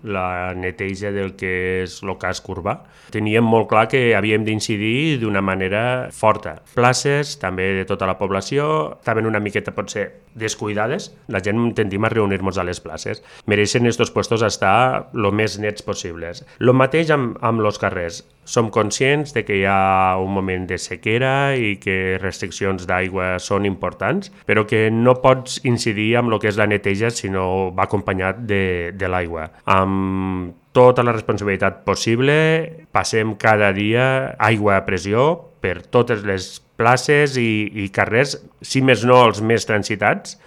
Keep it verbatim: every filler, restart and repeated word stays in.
la neteja del que és el casc urbà. Teníem molt clar que havíem d'incidir d'una manera forta. Places, també de tota la població, estaven una miqueta potser descuidades. La gent tendim a reunir-nos a les places. Mereixen estos puestos estar el més nets possibles. El mateix amb, amb els carrers. Som conscients de que hi ha un moment de sequera i que restriccions d'aigua són importants, però que no pots incidir amb el que és la neteja si no va acompanyat de, de l'aigua. Amb tota la responsabilitat possible, passem cada dia aigua a pressió per totes les places i, i carrers, si més no els més transitats,